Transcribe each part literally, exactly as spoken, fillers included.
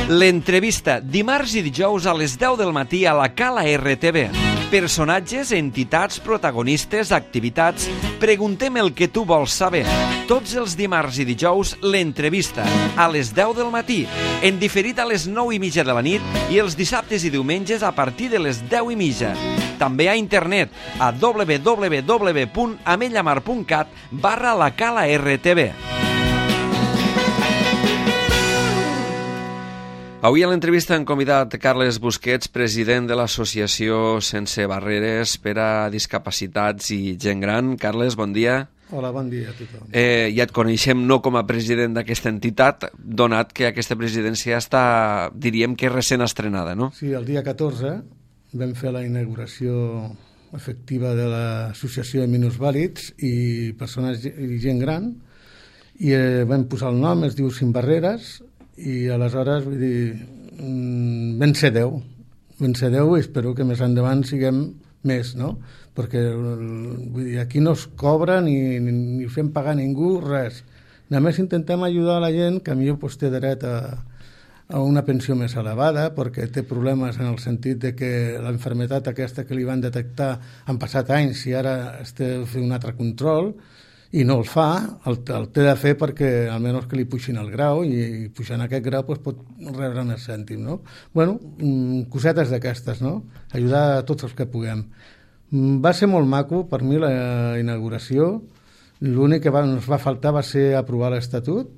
L'entrevista, dimarts i dijous a les deu del matí a la Cala R T V. Personatges, entitats, protagonistes, activitats... Preguntem el que tu vols saber. Tots els dimarts i dijous, l'entrevista, a les deu del matí, en diferit a les nou i mitja de la nit i els dissabtes i diumenges a partir de les deu i mitja. També a internet, a w w w punt amellamar punt cat barra la Cala R T V. Avui a l'entrevista hem convidat Carles Busquets, president de l'associació Sense Barreres per a Discapacitats i Gent Gran. Carles, bon dia. Hola, bon dia a tothom. Eh, ja et coneixem no com a president d'aquesta entitat, donat que aquesta presidència està, diríem que recent estrenada, no? Sí, el dia catorze vam fer la inauguració efectiva de l'associació de minusvàlids i persones i gent gran i eh, vam posar el nom, es diu Sin Barreres, i aleshores, vull dir, vam ser deu, vam ser deu i espero que més endavant siguem més, no? Perquè, vull dir, aquí no es cobra ni, ni, ni fem pagar a ningú, res. Només intentem ajudar a la gent que millor pues, té dret a, a una pensió més elevada perquè té problemes en el sentit de que l'enfermetat aquesta que li van detectar han passat anys i ara es té de fer un altre control i no el fa, el, el té de fer perquè almenys que li puixin el grau i, i pujant aquest grau pues, pot rebre més cèntim, no? Bueno, cosetes d'aquestes, no? Ajudar a tots els que puguem. Va ser molt maco per mi la inauguració, l'únic que va, ens va faltar va ser aprovar l'estatut,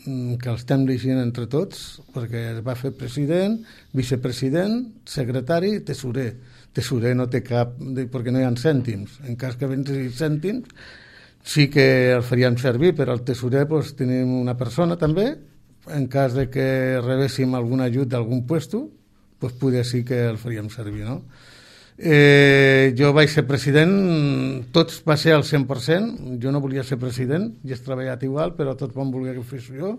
que el estem llegint entre tots, perquè es va fer president, vicepresident, secretari i tesorer. Tesorer no té cap, perquè no hi ha cèntims. En cas que vengui cèntims, sí que el faríem servir, però al tesorer pues, tenim una persona també, en cas de que rebéssim algun ajut d'algun puesto, pues, poder sí que el faríem servir, no? Eh, jo vaig ser president, tots va ser al cent per cent, jo no volia ser president, ja he treballat igual, però tots van voler que fos jo,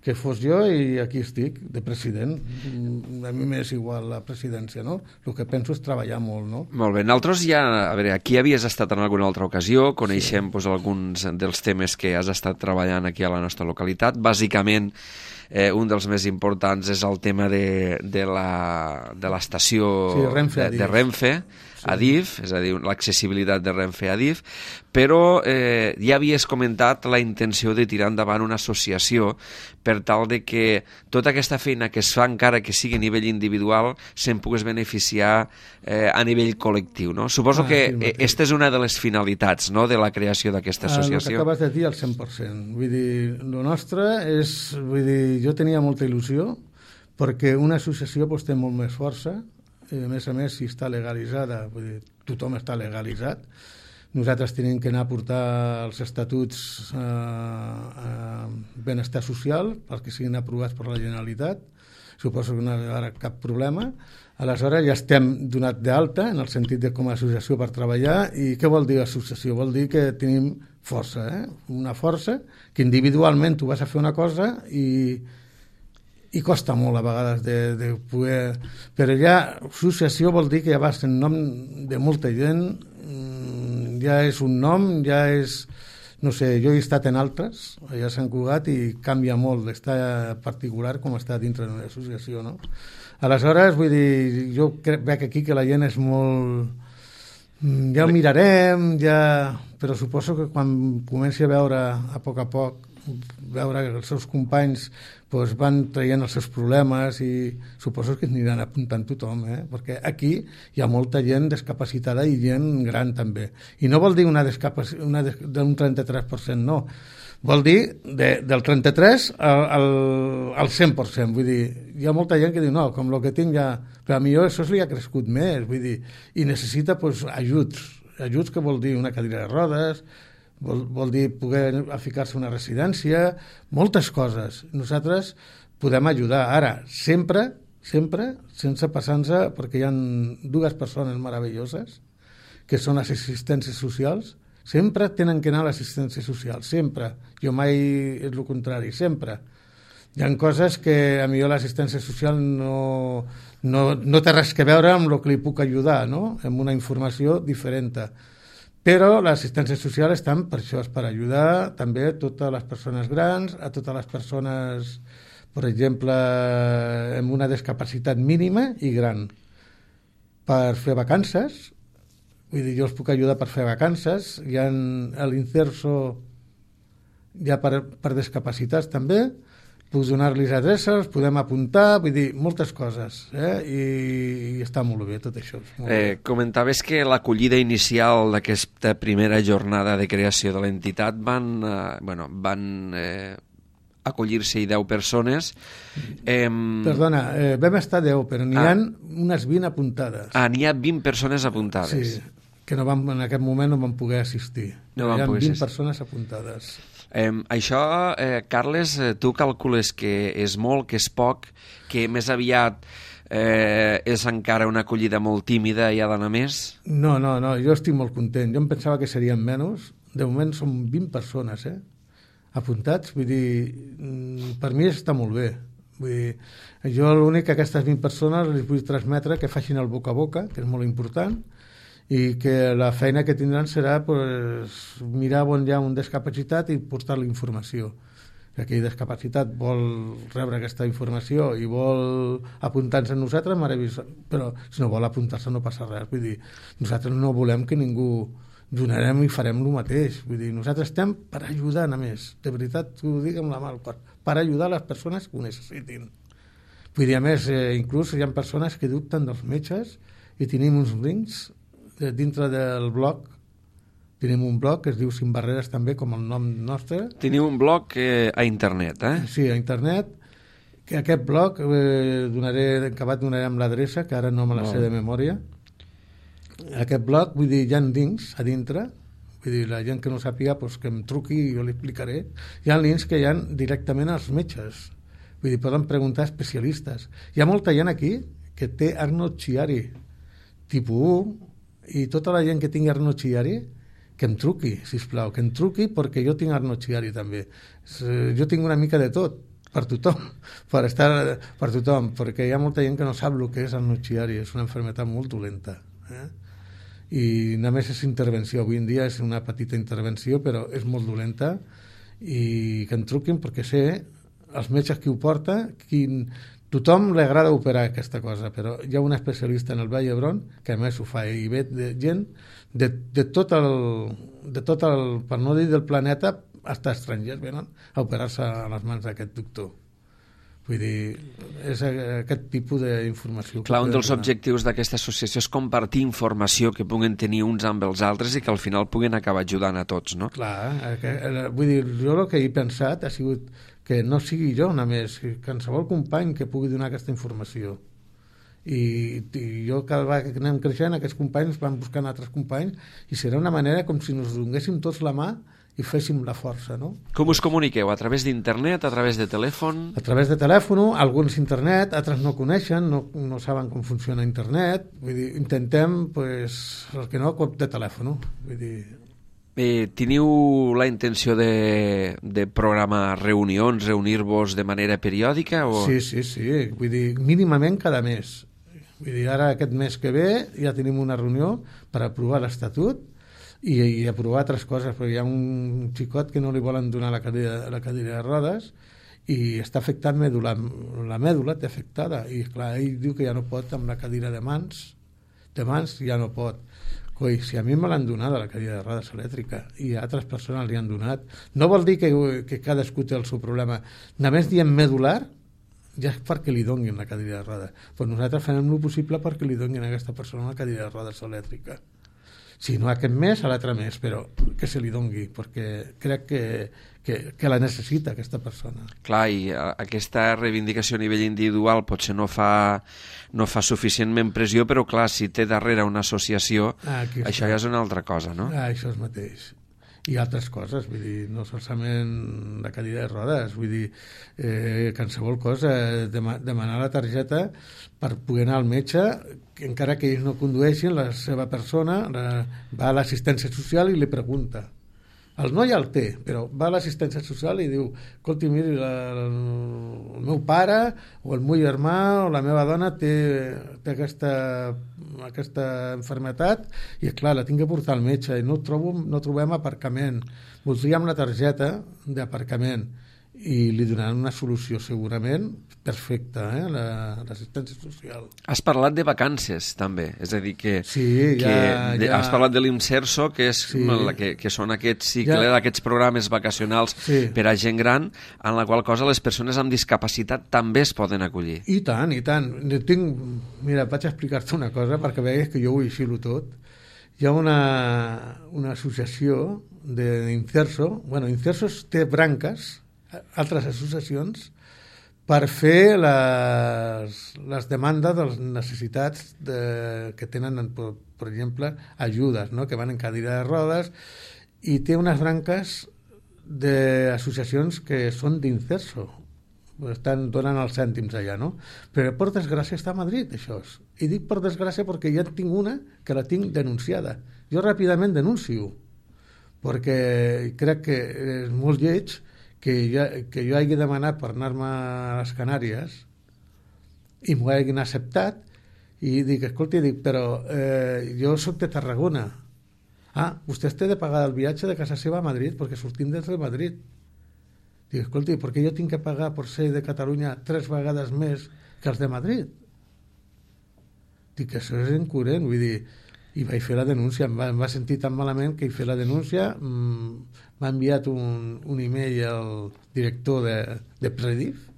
que fos jo i aquí estic, de president. A mi m'és igual la presidència, no? El que penso és treballar molt, no? Molt bé. Nosaltres ja, a veure, aquí havies estat en alguna altra ocasió, coneixem sí. pues, alguns dels temes que has estat treballant aquí a la nostra localitat. Bàsicament, eh, un dels més importants és el tema de, de l'estació sí, Renfe, de, de Renfe, sí. Adif, és a dir, l'accessibilitat de Renfe a Adif, però eh, ja havies comentat la intenció de tirar endavant una associació per tal de que tota aquesta feina que es fa, encara que sigui a nivell individual, se'n pogués beneficiar eh, a nivell col·lectiu, no? Suposo ah, que sí, aquesta és una de les finalitats, no?, de la creació d'aquesta associació. Ah, el que acabes de dir al cent per cent. Vull dir, el nostre és... Vull dir, jo tenia molta il·lusió perquè una associació pues, té molt més força i a més a més si està legalitzada, vull dir, tothom està legalitzat. Nosaltres tenim que anar a portar els estatuts eh, a benestar social perquè siguin aprovats per la Generalitat. Suposo que no hi haurà cap problema. Aleshores ja estem donat d'alta en el sentit de com a associació per treballar. I què vol dir associació? Vol dir que tenim força, eh? Una força que individualment tu vas a fer una cosa i i costa molt a vegades de, de poder... Però ja associació vol dir que ja vas en nom de molta gent, ja és un nom, ja és... No sé, jo he estat en altres, allà a Sant Cugat, i canvia molt estar particular com estar dintre d'una associació, no? Aleshores, vull dir, jo crec, veig aquí que la gent és molt... Ja ho mirarem, ja... Però suposo que quan comenci a veure a poc a poc veure que els seus companys doncs, van traient els seus problemes i suposo que aniran apuntant tothom, eh? Perquè aquí hi ha molta gent discapacitada i gent gran també. I no vol dir una discapacitat d'un trenta-tres per cent, no. Vol dir de, del trenta-tres al, al, al cent per cent. Vull dir, hi ha molta gent que diu, no, com el que tinc ja... Però a mi això li ha crescut més, vull dir, i necessita doncs, ajuts. Ajuts que vol dir una cadira de rodes, Vol, vol dir poder ficar-se una residència, moltes coses. Nosaltres podem ajudar. Ara, sempre, sempre, sense passar-nos, perquè hi ha dues persones meravelloses, que són les assistències socials, sempre tenen que anar a l'assistència social, sempre. Jo mai és el contrari, sempre. Hi ha coses que a millor l'assistència social no, no, no té res que veure amb el que li puc ajudar, no? Amb una informació diferent. Però l'assistència social està per això, és per ajudar també a totes les persones grans, a totes les persones per exemple, amb una discapacitat mínima i gran, per fer vacances. Vull dir, jo els puc ajudar per fer vacances. Hi ha l'inserso ja per, per discapacitats també. Puc donar-los adreces, podem apuntar, vull dir, moltes coses, eh? I, i està molt bé tot això. Molt eh, bé. Comentaves que l'acollida inicial d'aquesta primera jornada de creació de l'entitat van, eh, bueno, van eh, acollir-se-hi deu persones. Eh, Perdona, eh, vam estar deu, però n'hi ah, ha unes vint apuntades. Ah, n'hi ha vint persones apuntades. Sí, que no van, en aquest moment no van poder assistir. No van hi ha poder vint assistir. persones apuntades. Eh, això, eh, Carles, eh, tu calcules que és molt, que és poc, que més aviat eh, és encara una acollida molt tímida i ha d'anar més? No, no, no, jo estic molt content. Jo em pensava que serien menys. De moment són vint persones, eh? Apuntats. Vull dir, per mi està molt bé. Vull dir, jo l'únic que aquestes vint persones les vull transmetre que facin el boca a boca, que és molt important, i que la feina que tindran serà pues, mirar on hi ha un discapacitat i portar la informació. Si aquell discapacitat vol rebre aquesta informació i vol apuntar-se a nosaltres, meravellós. Però si no vol apuntar-se no passa res. Vull dir, nosaltres no volem que ningú donarem i farem el mateix. Vull dir, nosaltres estem per ajudar, a més. De veritat, t'ho dic amb la mà al cor. Per ajudar les persones que ho necessitin. Vull dir, a més, eh, inclús hi ha persones que dubten dels metges i tenim uns links dintre del blog. Tenim un blog que es diu Sin Barreres també, com el nom nostre. Teniu un blog eh, a internet, eh? Sí, a internet. Que aquest blog, eh, donaré, acabat donarem l'adreça, que ara no me la sé de memòria. Aquest blog, vull dir, hi ha links a dintre, vull dir, la gent que no sàpiga, pues, que em truqui i jo li explicaré. Hi ha links que hi ha directament als metges. Vull dir, poden preguntar a especialistes. Hi ha molta gent aquí que té Arnold Chiari, tipus u, i tota la gent que tingui Arnold Chiari que em truqui, sisplau, que em truqui perquè jo tinc Arnold Chiari també. Jo tinc una mica de tot, per tothom, per estar per tothom, perquè hi ha molta gent que no sap el que és Arnold Chiari, és una malaltia molt dolenta. Eh? I només és intervenció, avui en dia és una petita intervenció, però és molt dolenta, i que em truquin perquè sé els metges qui ho porta, quin... Tothom li agrada operar aquesta cosa, però hi ha un especialista en el Vall d'Hebron que a més ho fa i ve de gent de, de, tot el, de tot el, per no dir del planeta, fins estrangers venen a operar-se a les mans d'aquest doctor. Vull dir, és aquest tipus d'informació. Clar, un dels objectius d'aquesta associació és compartir informació que puguen tenir uns amb els altres i que al final puguen acabar ajudant a tots, no? Clar, que, vull dir, jo el que he pensat ha sigut que no sigui jo només, que qualsevol company que pugui donar aquesta informació. I, i jo cada vegada que anem creixent, aquests companys van buscant altres companys i serà una manera com si nos donéssim tots la mà i féssim la força, no? Com us comuniqueu? A través d'internet, a través de telèfon? A través de telèfon, alguns internet, altres no coneixen, no, no saben com funciona internet, vull dir, intentem, pues, el que no, cop de telèfon, vull dir... Eh, teniu la intenció de, de programar reunions, reunir-vos de manera periòdica? O... Sí, sí, sí, vull dir, mínimament cada mes. Vull dir, ara aquest mes que ve ja tenim una reunió per aprovar l'Estatut i, i aprovar altres coses, perquè hi ha un xicot que no li volen donar la cadira, la cadira de rodes i està afectat medular, la mèdula té afectada i clar, ell diu que ja no pot amb la cadira de mans, de mans ja no pot. Coi, si a mi me l'han donat a la cadira de rodes elèctrica i a altres persones li han donat, no vol dir que, que cadascú té el seu problema. Només diem medular, ja és perquè li donguin la cadira de rodes. Però nosaltres farem el possible perquè li donguin a aquesta persona la cadira de rodes elèctrica. Si no aquest mes, a l'altre mes, però que se li dongui, perquè crec que, que, que la necessita aquesta persona. Clar, i aquesta reivindicació a nivell individual potser no fa, no fa suficientment pressió, però clar, si té darrere una associació, ah, això ja és una altra cosa, no? Ah, això és mateix. I altres coses, vull dir, no solament la cadira de rodes, vull dir, eh, qualsevol cosa, dem demanar la targeta per poder anar al metge, que encara que ells no condueixin, la seva persona la, va a l'assistència social i li pregunta. El noi el té, però va a l'assistència social i diu, escolti, miri, la, el meu pare o el meu germà o la meva dona té, té aquesta, aquesta malaltia i, clar, la tinc que portar al metge i no, trobo, no trobem aparcament. Voldríem la targeta d'aparcament i li donaran una solució segurament perfecta, eh, l'assistència social. Has parlat de vacances, també, és a dir, que, sí, ja, que de, ja... has parlat de l'Inserso, que, és sí. la, que, que són aquests cicles, ja... aquests programes vacacionals sí. per a gent gran, en la qual cosa les persones amb discapacitat també es poden acollir. I tant, i tant. Tinc... Mira, vaig explicar-te una cosa perquè veus que jo ho aixilo tot. Hi ha una, una associació d'Inserso, bueno, Inserso té branques, altres associacions, per fer les, les demandes de les necessitats de, que tenen, per, per exemple, ajudes, no? Que van en cadira de rodes, i té unes branques d'associacions que són d'Inserso, estan donant els cèntims allà, no? Però per desgràcia està a Madrid, això. I dic per desgràcia perquè ja tinc una que la tinc denunciada. Jo ràpidament denuncio, perquè crec que és molt lleig que jo, que jo hagi demanat per anar-me a les Canàries i m'ho hagin acceptat i dic, escolta, dic, però eh, jo soc de Tarragona. Ah, vostè té de pagar el viatge de casa seva a Madrid perquè sortim des de Madrid. Dic, escolta, per què jo tinc que pagar per ser de Catalunya tres vegades més que els de Madrid? Dic, això és incoherent, vull dir, i vaig fer la denúncia, em va, em va sentir tan malament que hi fer la denúncia, mmm, m'ha enviat un, un e-mail al director de, de Predif,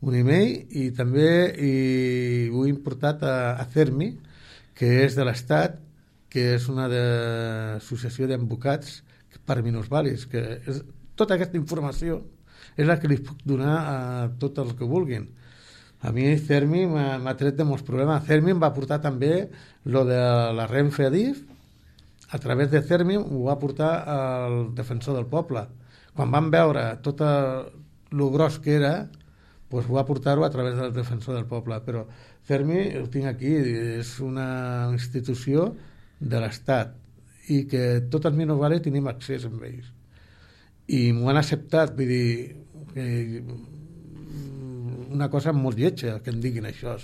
un e-mail, i també i ho he importat a, a CERMI, que és de l'Estat, que és una de, associació d'advocats per minusvàlids, que és, tota aquesta informació és la que li puc donar a tot el que vulguin. A mi CERMI m'ha tret de molts problemes. CERMI em va portar també lo de la Renfe Adif, a través de CERMI ho va portar al defensor del poble. Quan van veure tot el gros que era, doncs ho va portar-ho a través del defensor del poble. Però CERMI, ho tinc aquí, és una institució de l'Estat i que tots els minusvàlids tenim accés amb ells. I m'ho han acceptat, vull dir, que una cosa molt lletja que em diguin això.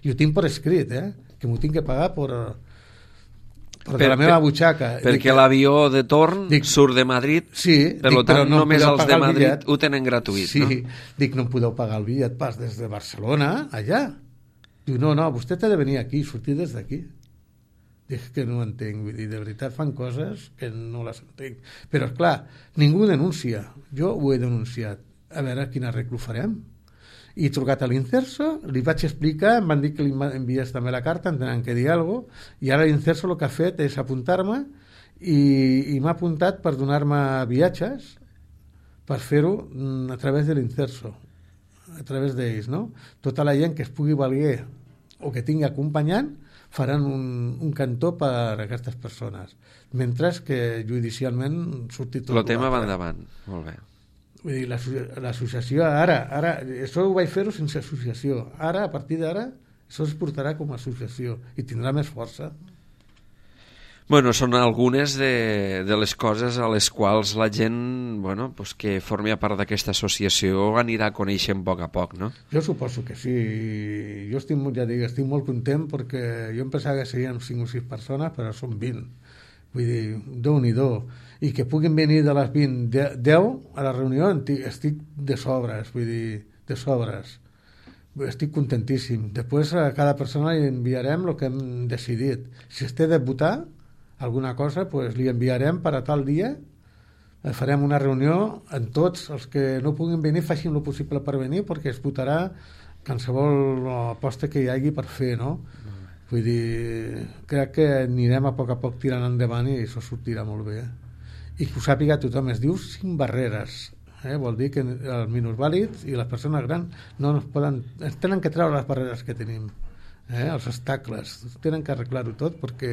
I ho tinc per escrit, eh? Que m'ho tinc que pagar per, per, per la meva butxaca. Perquè dic, l'avió de torn dic, surt de Madrid, sí, per dic, tant no només els de Madrid bitllet, ho tenen gratuït. Sí, no? Dic, no em podeu pagar el bitllet pas des de Barcelona, allà. Diu, no, no, vostè té de venir aquí, sortir des d'aquí. Dic que no ho entenc, vull dir, de veritat fan coses que no les entenc. Però, esclar, ningú denuncia. Jo ho he denunciat. A veure quin arreglo farem. I he trucat a l'Inserso, li vaig explicar, em van dir que li envies també la carta, em tenen que dir alguna cosa, i ara l'Inserso el que ha fet és apuntar-me i, i m'ha apuntat per donar-me viatges per fer-ho a través de l'Inserso, a través d'ells, no? Tota la gent que es pugui valer o que tingui acompanyant faran un, un cantó per a aquestes persones, mentre que judicialment surti tot. El tema va endavant, molt bé. Vull dir, l'associació, ara, ara, això ho vaig fer-ho sense associació. Ara, a partir d'ara, això es portarà com a associació i tindrà més força. Bueno, són algunes de, de les coses a les quals la gent, bueno, pues que formi part d'aquesta associació anirà coneixent a poc a poc, no? Jo suposo que sí. Jo estic, ja dic, estic molt content perquè jo em pensava que serien cinc o sis persones, però són vint. Vull dir, Déu-n'hi-do. I que puguin venir de les vint, deu a la reunió, estic de sobres, vull dir, de sobres. Estic contentíssim. Després a cada persona li enviarem el que hem decidit. Si es té de votar alguna cosa, pues li enviarem per a tal dia, farem una reunió amb tots els que no puguin venir, facin el possible per venir, perquè es votarà qualsevol aposta que hi hagi per fer, no? Vull dir, crec que anirem a poc a poc tirant endavant i això sortirà molt bé. I que ho sàpiga tothom, es diu cinc barreres, eh? Vol dir que els minusvàlids i les persones grans no ens poden, ens tenen que treure les barreres que tenim, eh? Els obstacles, tenen que arreglar-ho tot perquè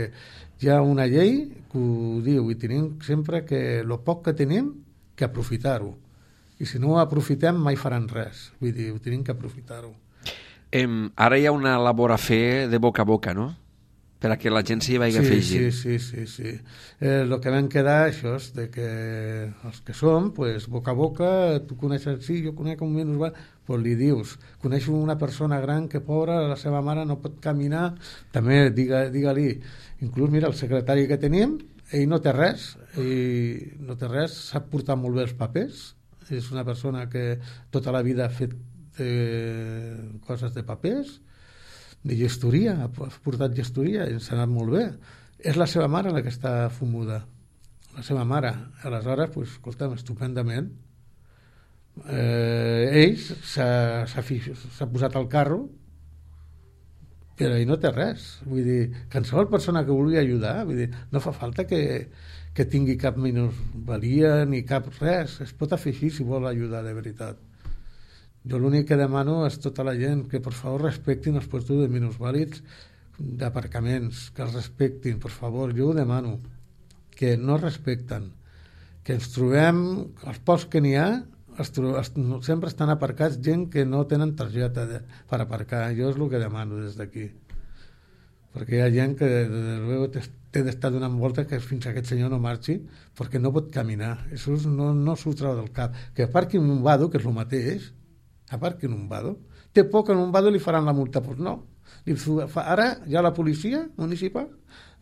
hi ha una llei que ho diu i tenim sempre que el poc que tenim que aprofitar-ho, i si no ho aprofitem mai faran res, vull dir, ho tenim que aprofitar-ho. Em, ara hi ha una labor a fer de boca a boca, no? Per a que la gent s'hi vagi sí, afegint. Sí, sí, sí. sí. Eh, el que vam quedar, això és de que els que som, pues, boca a boca, tu coneixes, sí, jo conec un minusvàlid, pues li dius, coneixo una persona gran que pobra, la seva mare no pot caminar, també diga, digue-li, inclús, mira, el secretari que tenim, ell no té res, ell no té res, sap portar molt bé els papers, és una persona que tota la vida ha fet eh, coses de papers, de gestoria, ha portat gestoria i ens ha anat molt bé. És la seva mare la que està fumuda, la seva mare. Aleshores, pues, escolta'm, estupendament. Eh, ell s'ha posat al carro, però ell no té res. Vull dir, qualsevol persona que vulgui ajudar, vull dir, no fa falta que, que tingui cap minusvalia ni cap res. Es pot afegir si vol ajudar de veritat. Jo l'únic que demano és tota la gent que per favor respectin els puestos de minusvàlids d'aparcaments, que els respectin, per favor, jo ho demano, que no respecten, que ens trobem, els pocs que n'hi ha, es es, sempre estan aparcats gent que no tenen targeta de, per aparcar. Jo és el que demano des d'aquí, perquè hi ha gent que des luego té d'estar donant voltes que fins que aquest senyor no marxi perquè no pot caminar. Això no, no s'ho treu del cap. Que aparqui en un vado, que és el mateix, aparqui en un vado, té por que en un vado li faran la multa, doncs no. Ara ja la policia municipal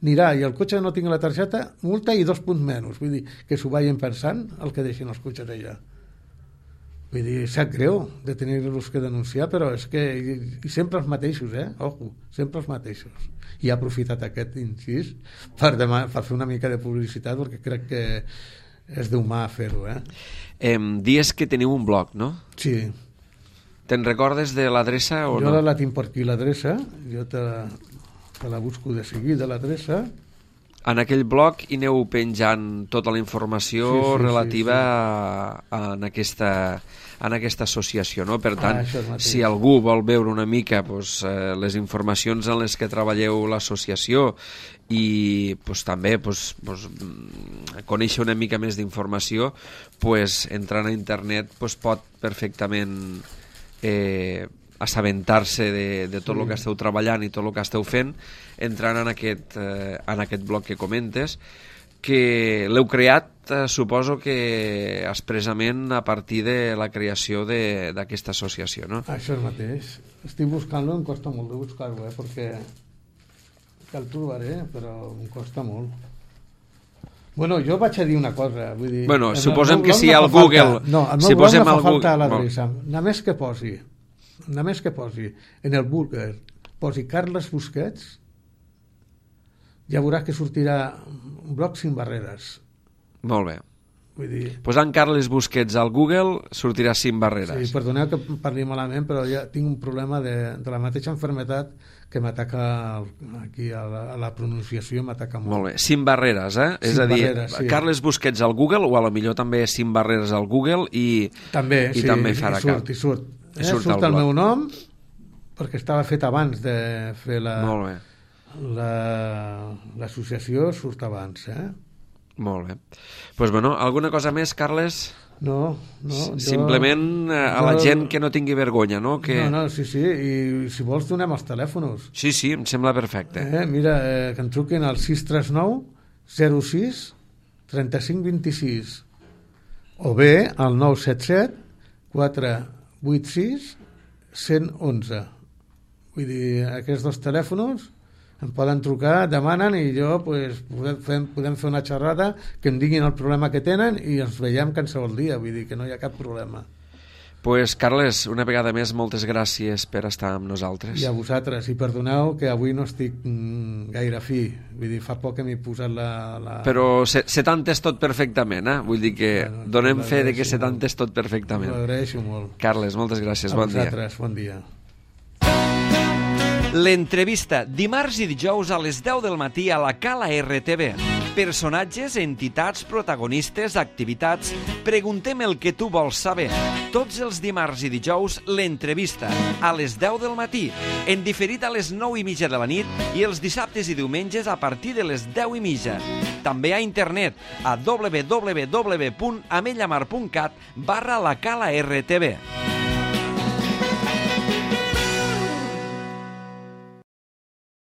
anirà i el cotxe no tingui la targeta, multa i dos punts menys. Vull dir, que s'ho vagin pensant el que deixin els cotxes allà. Vull dir, sap greu de tenir-los que denunciar, però és que i, i sempre els mateixos, eh? Ojo, sempre els mateixos. I ha aprofitat aquest incís per, demà, per fer una mica de publicitat, perquè crec que és d'humà fer-ho, eh? eh? Dies que teniu un blog, no? Sí. Te'n recordes de l'adreça o jo no? Jo la tinc per aquí, l'adreça. Jo te la, te la busco de seguida, l'adreça. En aquell blog hi aneu penjant tota la informació sí, sí, relativa sí, sí. A, a, en, aquesta, en aquesta associació, no? Per tant, ah, si algú vol veure una mica pues, eh, les informacions en les que treballeu l'associació i pues, també pues, pues, conèixer una mica més d'informació, pues, entrant a internet pues, pot perfectament eh, assabentar-se de, de tot sí. el que esteu treballant i tot el que esteu fent, entrant en aquest, eh, en aquest bloc que comentes, que l'heu creat, eh, suposo que expressament a partir de la creació d'aquesta associació, no? Això és mateix. Estic buscant-lo, em costa molt de buscar-ho, eh, perquè que el trobaré, però em costa molt. Bueno, jo vaig a dir una cosa, vull dir... Bueno, suposem que si al Google... No, al meu blog no fa falta l'adreça. Només que posi, només que posi en el Google, posi Carles Busquets, ja veuràs que sortirà un blog sin barreres. Molt bé. Vull dir... Posant Carles Busquets al Google sortirà sin barreres. Sí, perdoneu que parli malament, però ja tinc un problema de, de la mateixa enfermetat que m'ataca aquí a la, a la pronunciació, m'ataca molt. Molt bé, sin barreres, eh? Sin és a dir, barreres, sí. Carles Busquets al Google, o a lo millor també sin barreres al Google i també, i sí, també farà i surt, i surt. I eh? surt, surt el, el meu nom, perquè estava fet abans de fer la... Molt bé. L'associació la, surt abans, eh? Molt bé. Doncs pues, bueno, alguna cosa més, Carles? No, no. Simplement jo, a la jo, gent que no tingui vergonya, no? Que... No, no, sí, sí, i si vols donem els telèfons. Sí, sí, em sembla perfecte. Eh, mira, eh, que em truquin al sis tres nou zero sis trenta-cinc vint-i-sis o bé al nou set set quatre vuit sis cent onze. Vull dir, aquests dos telèfons em poden trucar, demanen i jo pues, podem, fer, podem fer una xerrada, que em diguin el problema que tenen i ens veiem qualsevol dia, vull dir que no hi ha cap problema. Pues, Carles, una vegada més, moltes gràcies per estar amb nosaltres. I a vosaltres, i perdoneu que avui no estic mm, gaire fi, vull dir, fa poc que m'he posat la... la... Però se, se t'entès tot perfectament, eh? Vull dir que bueno, donem fe de que se t'entès tot perfectament. Ho agraeixo molt. Carles, moltes gràcies, a bon dia. A vosaltres, bon dia. L'entrevista, dimarts i dijous a les deu del matí a la Cala R T V. Personatges, entitats, protagonistes, activitats... Preguntem el que tu vols saber. Tots els dimarts i dijous, l'entrevista, a les deu del matí, en diferit a les nou i mitja de la nit i els dissabtes i diumenges a partir de les deu i mitja. També a internet, a w w w punt amellamar punt cat barra la Cala R T V.